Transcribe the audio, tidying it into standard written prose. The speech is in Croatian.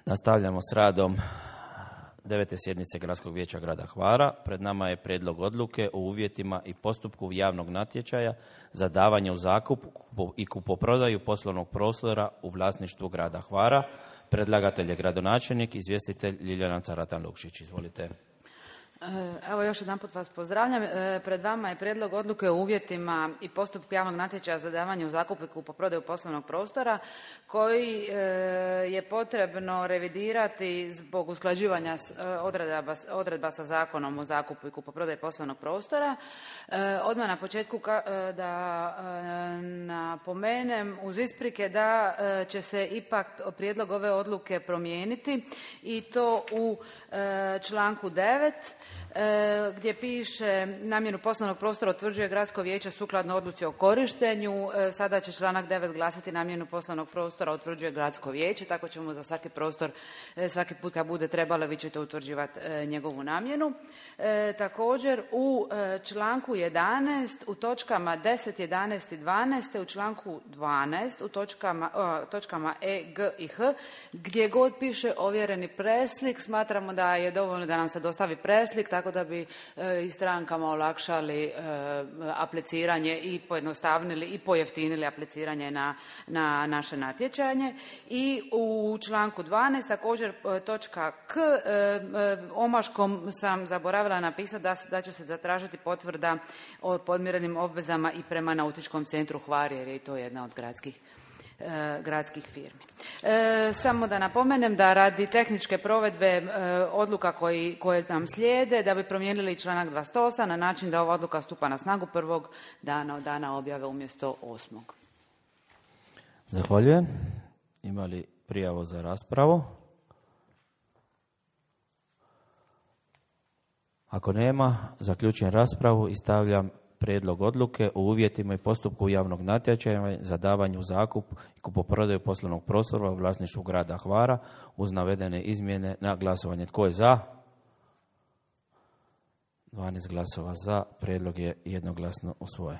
Nastavljamo s radom 9. sjednice Gradskog vijeća grada Hvara. Pred nama je prijedlog odluke o uvjetima i postupku javnog natječaja za davanje u zakup i kupoprodaju poslovnog prostora u vlasništvu grada Hvara. Predlagatelj je gradonačelnik, izvjestitelj Ljiljana Caratan-Lukšić. Izvolite. Evo, još jedanput vas pozdravljam. Pred vama je prijedlog odluke o uvjetima i postupku javnog natječaja za davanje u zakup i kupoprodaju poslovnog prostora koji je potrebno revidirati zbog usklađivanja odredba sa Zakonom o zakupu i kupoprodaji poslovnog prostora. Odmah na početku da napomenem uz isprike da će se ipak prijedlog ove odluke promijeniti i to u članku 9. Gdje piše namjenu poslovnog prostora utvrđuje gradsko vijeće sukladno odluci o korištenju. Sada će članak 9 glasiti namjenu poslovnog prostora utvrđuje gradsko vijeće, tako ćemo za svaki prostor, svaki put kad bude trebalo, vi ćete utvrđivati njegovu namjenu. Također u članku 11 u točkama 10, 11 i 12, u članku 12 u točkama E, G i H gdje god piše ovjereni preslik, smatramo da je dovoljno da nam se dostavi preslik, tako da bi i strankama olakšali apliciranje i pojednostavnili i pojeftinili apliciranje na naše natječanje. I u članku 12 također točka K, omaškom sam zaboravila napisati da će se zatražiti potvrda o podmirenim obvezama i prema Nautičkom centru Hvar, jer je to jedna od gradskih firmi. Samo da napomenem da radi tehničke provedbe odluka koje nam slijede, da bi promijenili članak 28 na način da ova odluka stupa na snagu prvog dana od dana objave umjesto 8. Zahvaljujem. Ima li prijavu za raspravu? Ako nema, zaključujem raspravu i stavljam prijedlog odluke o uvjetima i postupku javnog natječaja za davanje u zakup i kupoprodaju poslovnog prostora u vlasništvu grada Hvara uz navedene izmjene na glasovanje. Tko je za? 12 glasova za. Prijedlog je jednoglasno usvojen.